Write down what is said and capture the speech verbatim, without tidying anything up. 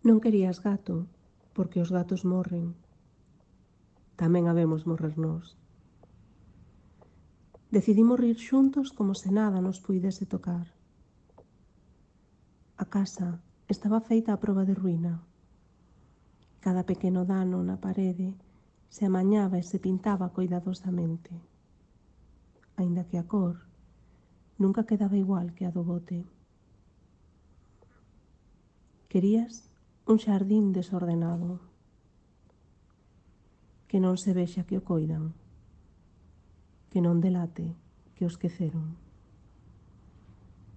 Non querías gato, porque os gatos morren. Tamén habemos morrer nós. Decidimos rir xuntos como se nada nos puidese tocar. A casa estaba feita a proba de ruína. Cada pequeno dano na parede se amañaba e se pintaba coidadosamente, aínda que a cor nunca quedaba igual que a do bote. Querías un xardín desordenado, que non se vexa que o coidan, que non delate que o esqueceron.